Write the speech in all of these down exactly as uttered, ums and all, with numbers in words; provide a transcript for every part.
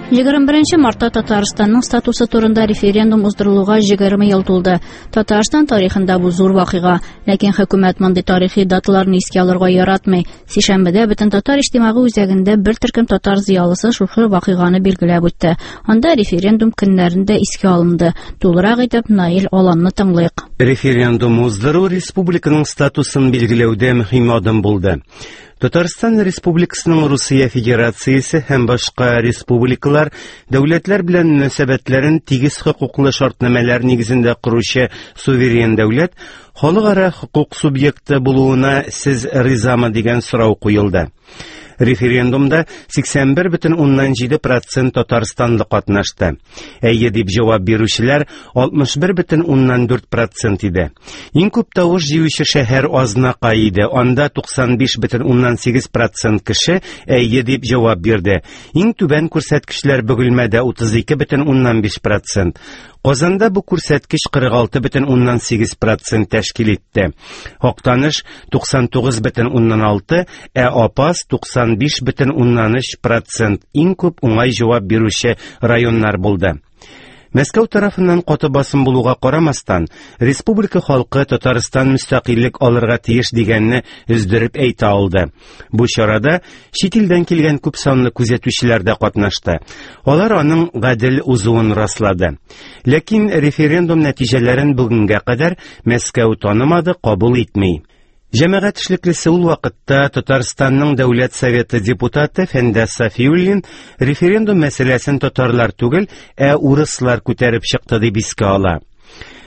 Егерме беренче мартта Татарстанның статусы турында референдум уздырылуга егерме ел тулды. Татарстан тарихында бу зур вакыйга. Ләкин хөкүмәт мондый тарихи даталарны искә алырга яратмый. Сишәмбедә бөтен татар иҗтимагый үзәгендә бер төркем татар зыялысы шушы вакыйганы билгеләп үтте. Анда референдум көннәрендә искә алынды. Тулырак итеп Наил Аланны тыңлыйк. Референдум уздыру республиканың статусын билгеләүдә мөһим адым булды. Татарстан Республикасының Русия Федерациясе һәм башка республикалар дәүләтләр белән мөнәсәбәтләрен тигез хокуклы шартнамәләр нигезендә коручы суверен дәүләт халыкара хокук субъекты булуына сез ризамы дигән сорау куелды. Референдумда сиксән бер бөтен уннан җиде процент татарстанлы катнашты. Әйе дип җавап бирүчеләр алтмыш бер бөтен уннан дүрт процент иде. Иң күп тавыш җыючы шәһәр Азнакай иде. Анда туксан биш бөтен уннан сигез процент кеше әйе дип җавап бирде. Иң түбән күрсәткечләр Бөгелмәдә утыз ике бөтен уннан биш процент. Казанда бу күрсәткеч кырык алты бөтен уннан сигез процент тәшкил итте. Актаныш туксан тугыз бөтен уннан алты, ә Апас туксан биш бөтен уннан өч процент иң күп уңай җавап бирүче районнар булды. Мәскәү тарафыннан каты басым булуга карамастан, республика халкы Татарстан мөстәкыйльлек алырга тиеш дигәнне өздереп әйтә алды. Бу чарада чит илдән килгән күп санлы күзәтүчеләр дә катнашты. Алар аның гадел узуын раслады. Ләкин референдум нәтиҗәләрен бүгенгә кадәр Мәскәү танымады, кабул итми. Җәмәгать эшлеклесе ул вакытта Татарстанның Дәүләт Советы депутаты Фәндәс Сафиуллин референдум мәсьәләсен татарлар түгел, ә урыслар күтәреп чыкты дип искә ала.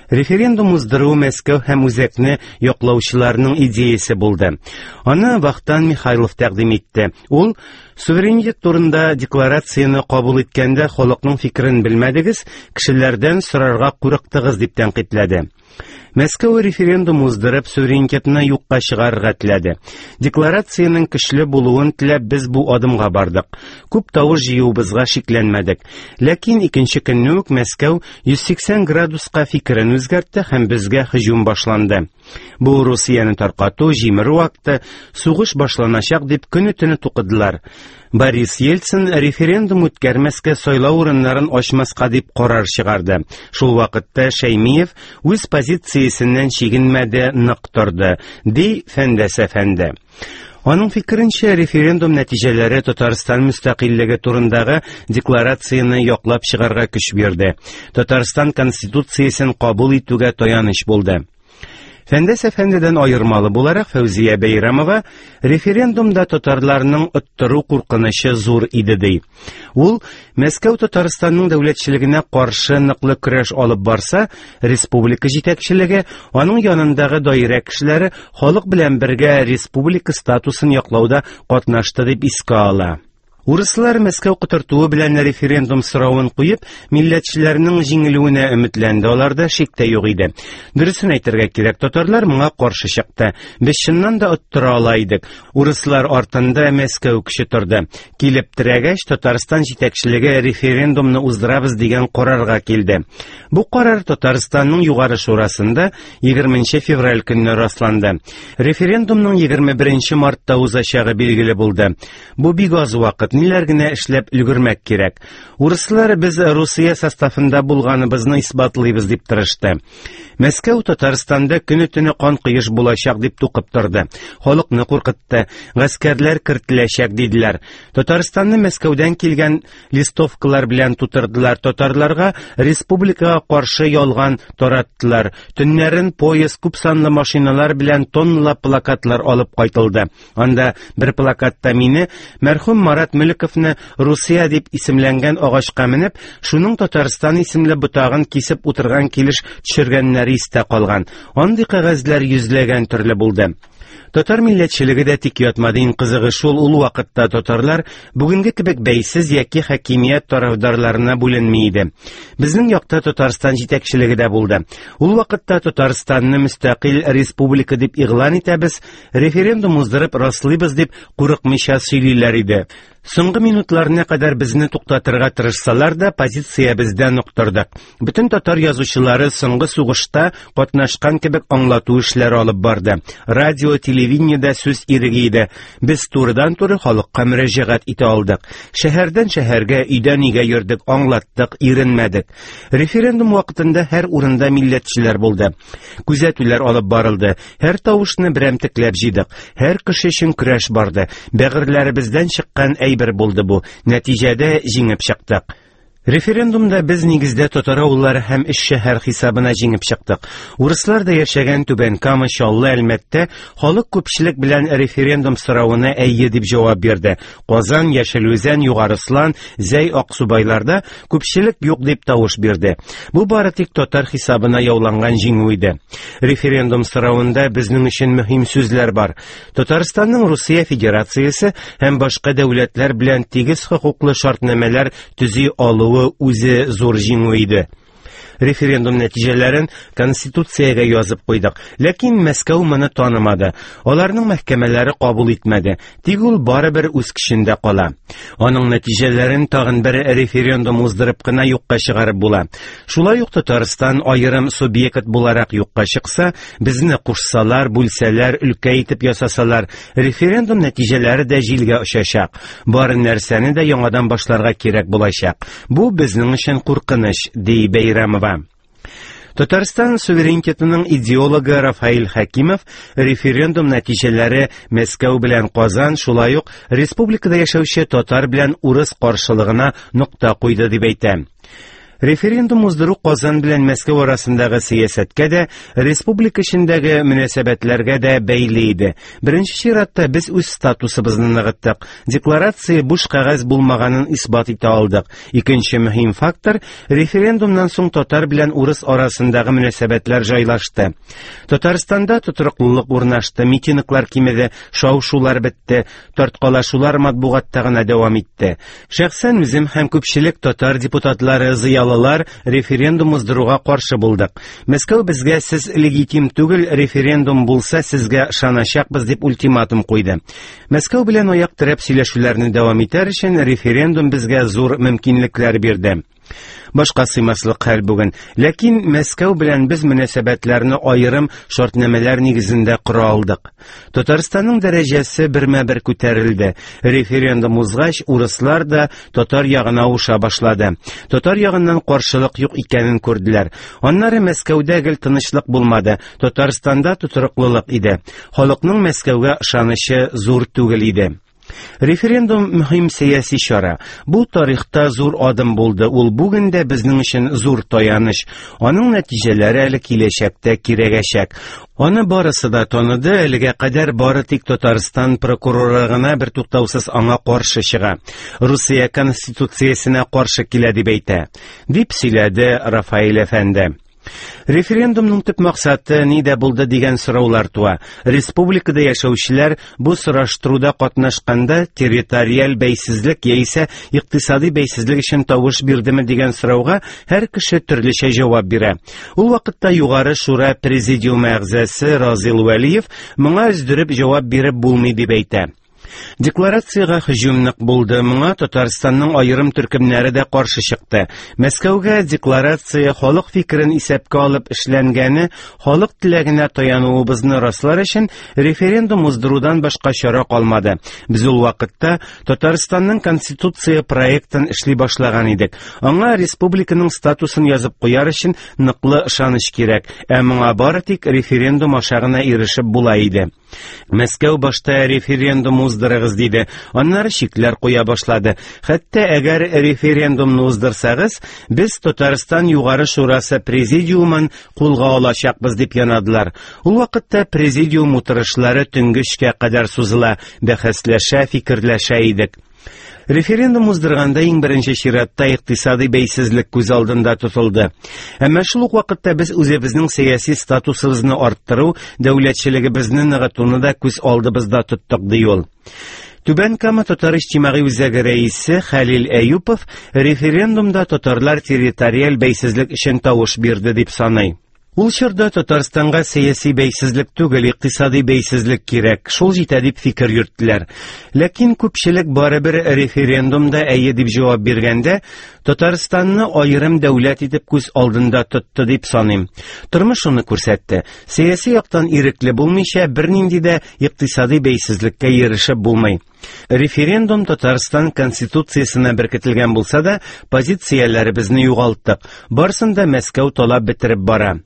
Референдум уздыру Мәскәү һәм үзәкне яклаучыларның идеясе булды. Аны Вахтан Михайлов тәкъдим итте. Ул суверенитет турында декларацияне кабул иткәндә халыкның фикерен белмәдегез, кешеләрдән сорарга курыктыгыз дип тәнкыйтьләде. Мәскәү референдум уздырып суверенитетны юкка чыгарырга теләде. Декларациянең көчле булуын теләп без бу адымга бардык. Күп тавыш җыюыбызга шикләнмәдек. Ләкин икенче көнне үк Мәскәү йөз сиксән градуска фикерен үзгәртте һәм безгә һөҗүм башланды. Бу Русияне таркату, җимерү акты, сугыш башланачак дип көне-төне тукыдылар. Борис Ельцин референдум үткәрмәскә, сайлау урыннарын ачмаска дип карар чыгарды. Шул вакытта Шәймиев үз позициясеннән чигенмәде, нык торды, ди Фәндәс әфәнде. Аның фикеренчә, референдум нәтиҗәләре Татарстан мөстәкыйльлеге турындагы декларацияне яклап чыгарга көч бирде. Татарстан Конституциясен кабул итүгә таяныч булды. Фәндәс әфәндедән аермалы буларак Фәүзия Бәйрәмова референдумда татарларның оттыру куркынычы зур иде ди. Ул Мәскәү Татарстанның дәүләтчелегенә каршы ныклы көрәш алып барса, республика җитәкчелеге, аның янындагы даирә кешеләре халык белән бергә республика статусын яклауда катнашты дип искә ала. Урыслар Мәскәү котыртуы белән референдум соравын куеп, милләтчеләрнең җиңелүенә өметләнде, аларда шик тә юк иде. Дөресен әйтергә кирәк, татарлар моңа каршы чыкты. Без чыннан да оттыра ала идек. Урыслар артында Мәскәү көче торды. Килеп терәгәч, Татарстан җитәкчелеге референдумны уздырабыз дигән карарга килде. Бу карар Татарстанның Югары Шурасында егерменче февраль көнне расланды. Референдумның егерме беренче мартта узачагы билгеле булды. Бу бик аз вакыт. Ниләр генә эшләп өлгермәк кирәк. Урыслар без Русия составында булганыбызны исбатлыйбыз дип тырышты. Мәскәү Татарстанда көне-төне кан коеш булачак дип тукып торды. Халыкны куркытты. Гаскәрләр кертеләчәк диделәр. Татарстанны Мәскәүдән килгән листовкалар белән тутырдылар. Татарларга республикага каршы ялган тараттылар. Төннәрен поезд күп санлы машиналар белән тонналап плакатлар алып кайтылды. Анда бер плакатта мине мәрхүм Марат Мөлековны Русия дип исемләнгән агачка менеп, шуның Татарстан исемле ботагын кисеп утырган килеш төшергәннәре истә калган. Андый кәгазьләр йөзләгән төрле булды. Татар милләтчелеге дә тик ятмады. Иң кызыгы шул, ул вакытта татарлар бүгенге кебек бәйсез яки хакимият тарафдарларына бүленми иде. Безнең якта Татарстан җитәкчелеге дә булды. Ул вакытта Татарстанны мөстәкыйль республика дип игълан итәбез, референдум уздырып раслыйбыз дип курыкмыйча сөйлиләр иде. Соңгы минутларына кадәр безне туктатырга тырышсалар да, позициябездә нык тордык. Бөтен татар язучылары соңгы сугышта катнашкан кебек аңлату эшләре алып барды. Радио, телевидениедә сүз иреге иде. Без турыдан-туры халыкка мөрәҗәгать итә алдык. Шәһәрдән шәһәргә, өйдән өйгә йөрдек, аңлаттык, иренмәдек. Референдум вакытында һәр урында милләтчеләр булды. Күзәтүләр алып барылды. Һәр тавышны берәмтекләп җыйдык. Һәр кеше өчен көрәш барды. Бәгырьләребездән чыккан әйбер булды бу. Нәтиҗәдә җиңеп чыктык. Референдумда без нигездә татар авыллары һәм өч шәһәр хисабына җиңеп чыктык. Урыслар да яшәгән Түбән Кама, Чаллы, Әлмәттә халык күпчелек белән референдум соравына әйе дип җавап бирде. Казан, Яшел Үзән, Югары Ослан, Зәй, Аксубайларда күпчелек юк дип тавыш бирде. Бу бары тик татар хисабына яуланган җиңү иде. Референдум соравында безнең өчен мөһим сүзләр бар. Татарстанның Русия Федерациясе һәм башка дәүләтләр белән тигез хокуклы шартнамәләр төзи алу үзе зур җиңү иде. Референдум нәтиҗәләрен Конституциягә язып куйдык. Ләкин Мәскәү моны танымады. Аларның мәхкәмәләре кабул итмәде. Тик ул барыбер үз көчендә кала. Аның нәтиҗәләрен тагын бер референдум уздырып кына юкка чыгарып була. Шулай ук Татарстан аерым субъект буларак юкка чыкса, безне кушсалар, бүлсәләр, өлкә итеп ясасалар, референдум нәтиҗәләре дә җилгә очачак. Бар нәрсәне дә яңадан башларга кирәк булачак. Бу безнең өчен куркыныч, ди Бәйрәмова. Татарстан суверенитетының идеологы Рафаэль Хәкимов референдум нәтиҗәләре Мәскәү белән Казан, шулай ук республикада яшәүче татар белән урыс каршылыгына нокта куйды дип әйтә. Референдум уздыру Казан белән Мәскәү арасындагы сәясәткә дә, республика эчендәге мөнәсәбәтләргә дә бәйле иде. Беренче чиратта без үз статусыбызны ныгыттык. Декларация буш кәгазь булмаганын исбат итә алдык. Икенче мөһим фактор референдумнан соң татар белән урыс арасындагы мөнәсәбәтләр җайлашты. Татарстанда тотрыклылык урнашты, митинглар кимеде, шау-шулар бетте, тарткалашулар матбугатта гына дәвам итте. Шәхсән үзем һәм күпчелек татар депутатлары зыялы референдум уздыруга каршы булдык. Мәскәү безгә сез легитим түгел, референдум булса сезгә ышаначакбыз дип ультиматум куйды. Мәскәү белән аяк терәп сөйләшүләрне дәвам итәр өчен референдум безгә зур мөмкинлекләр бирде. Башка сыймаслык хәл бүген. Ләкин Мәскәү белән без мөнәсәбәтләрне аерым шартнамәләр нигезендә кора алдык. Татарстанның дәрәҗәсе бермә-бер күтәрелде. Референдум узгач, урыслар да татар ягына авыша башлады. Татар ягыннан каршылык юк икәнен күрделәр. Аннары Мәскәүдә гел тынычлык булмады. Татарстанда тотрыклылык иде. Халыкның Мәскәүгә ышанычы зур түгел иде. Референдум мөһим сәяси чара. Бу тарихта зур адым булды. Ул бүген дә безнең өчен зур таяныч. Аның нәтиҗәләре әле киләчәктә кирәгәчәк. Аны барысы да таныды, әлегә кадәр бары тик Татарстан прокуроры гына бер туктаусыз аңа каршы чыга. Русия конституциясенә каршы килә дип әйтә, дип сөйләде Рафаэль әфәнде. Референдумның төп максаты нидә булды дигән сораулар туа. Республикада яшәүчеләр бу сораштыруда катнашканда территориаль бәйсезлек яисә икътисади бәйсезлек өчен тавыш бирдеме дигән сорауга һәр кеше төрлечә җавап бирә. Ул вакытта Югары Шура президиумы әгъзасы Разил Вәлиев моңа өздереп җавап биреп булмый дип әйтә. Декларациягә һөҗүм нык булды. Моңа Татарстанның аерым төркемнәре дә каршы чыкты. Мәскәүгә декларация халык фикерен исәпкә алып эшләнгәне, халык теләгенә таянуыбызны раслар өчен референдум уздырудан башка чара калмады. Без ул вакытта Татарстанның конституция проектын эшли башлаган идек. Аңа республиканың статусын язып куяр өчен ныклы ышаныч кирәк, ә моңа бары тик референдум аша гына ирешеп була иде. Мәскәү башта референдум уздырыгыз диде, аннары шикләр куя башлады. Хәтта әгәр референдумны уздырсагыз, без Татарстан Югары Шурасы президиумын кулга алачакбыз дип янадылар. Ул вакытта президиум утырышлары төнге өчкә кадәр сузыла, бәхәсләшә, фикерләшә идек. Референдум уздырганда иң беренче чиратта икътисади бәйсезлек күз алдында тотылды. Әмма шул ук вакытта без үзебезнең сәяси статусыбызны арттыру, дәүләтчелегебезне ныгытуны да күз алдыбызда тоттык, ди ул. Түбән Кама татар иҗтимагый үзәге рәисе Хәлил Әюпов референдумда татарлар территориаль бәйсезлек өчен тавыш бирде дип саный. Ул чорда Татарстанга сәяси бәйсезлек түгел, икътисади бәйсезлек кирәк, шул җитә дип фикер йөрттеләр. Ләкин күпчелек барыбер референдумда әйе дип җавап биргәндә, Татарстанны аерым дәүләт итеп күз алдында тотты дип саныйм. Тормыш шуны күрсәтте. Сәяси яктан ирекле булмыйча бернинди дә икътисади бәйсезлеккә ирешеп булмый. Референдум Татарстан Конституциясенә беркетелгән булса да, позицияләребезне югалттык. Барсын да Мәскәү талап бетереп бара.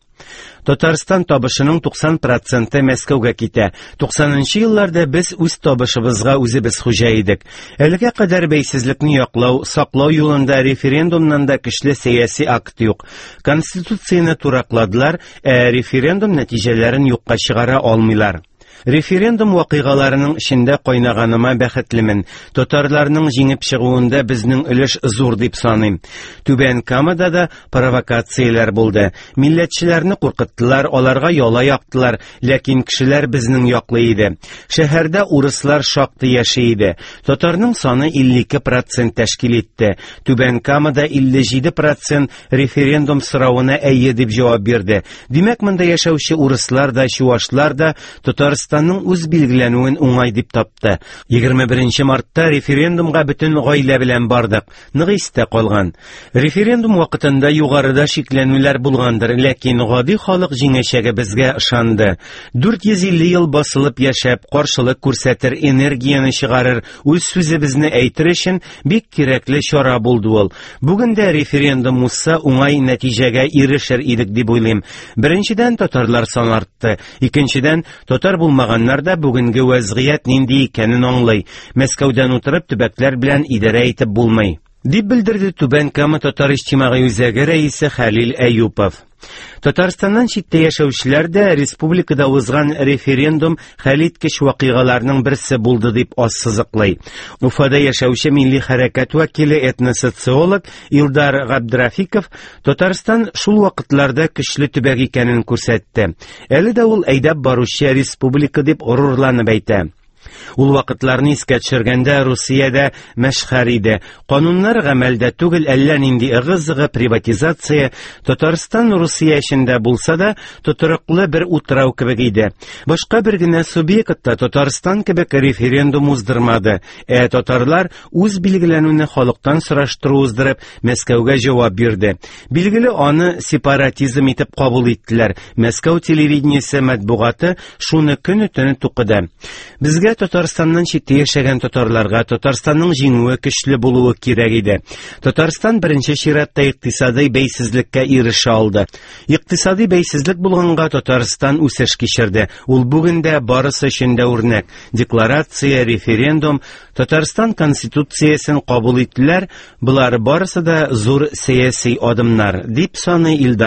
Татарстан табышының туксан проценты Мәскәүгә китә. Туксанынчы елларда без үз табышыбызга үзебез хуҗа идек. Әлегә кадәр бәйсезлекне яклау, саклау юлында референдумнан да көчле сәяси акт юк. Конституцияне туракладылар, ә референдум нәтиҗәләрен юкка чыгара алмыйлар. Референдум вакыйгаларының эчендә кайнаганыма бәхетлемен. Татарларның җиңеп чыгуында безнең өлеш зур дип саныйм. Түбән Камада да провокацияләр булды. Милләтчеләрне куркыттылар, аларга яла яктылар, ләкин кешеләр безнең яклы иде. Шәһәрдә урыслар шактый яши иде. Татарның саны илле ике процент тәшкил итте. Түбән Камада илле җиде процент референдум соравына әйе дип җавап бирде. Димәк, монда яшәүче урыслар да, чуашлар да Татарстан Татарстанның үз билгеләнүен уңай дип тапты. Егерме беренче мартта референдумга бөтен гаилә белән бардык. Нык истә калган. Референдум вакытында югарыда шикләнүләр булгандыр, ләкин гади халык җиңәчәге безгә ышанды. Дүрт йөз илле ел басылып яшәп, каршылык күрсәтер, энергияне чыгарыр, үз сүзебезне әйтер өчен бик кирәкле чара булды ул. Бүген дә референдум узса, уңай нәтиҗәгә ирешер идек дип уйлыйм. Беренчедән, татарлар саны артты. Икенчедән, татар булмаганнар да бүгенге вәзгыять нинди икәнен аңлый. Мәскәүдән утырып төбәкләр белән идарә итеп булмый, дип белдерде Түбән Кама татар иҗтимагый үзәге рәисе Хәлил Әюпов. Татарстаннан читтә яшәүчеләр дә республикада узган референдум хәлиткеч вакыйгаларның берсе булды дип ассызыклый. Уфада яшәүче милли хәрәкәт вәкиле этносоциолог Илдар Габдрафиков Татарстан шул вакытларда көчле төбәк икәнен күрсәтте. Әле дә ул әйдәп баручы республика дип горурланып әйтә. Ул вакытларны искә төшергәндә Русиядә мәшһәр иде. Кануннар гамәлдә түгел, әллә нинди ыгы-зыгы, приватизация. Татарстан Русия эчендә булса да, тотрыклы бер утрау кебек иде. Башка бер генә субъект та Татарстан кебек референдум уздырмады. Ә татарлар үз билгеләнүне халыктан сораштыру уздырып, Мәскәүгә җавап бирде. Билгеле, аны сепаратизм итеп кабул иттеләр. Мәскәү телевидениесе матбугаты шуны көне-төне тукыды. Безгә Татарстаннан читтә яшәгән татарларга Татарстанның җиңүе көчле булуы кирәк иде. Татарстан беренче чиратта икътисади бәйсезлеккә ирешә алды. Икътисади бәйсезлек булганга Татарстан үсеш кичерде. Ул бүген дә барысы өчен дә үрнәк. Декларация, референдум, Татарстан Конституциясен кабул иттеләр. Болар барысы да зур сәяси адымнар, дип саный Илдар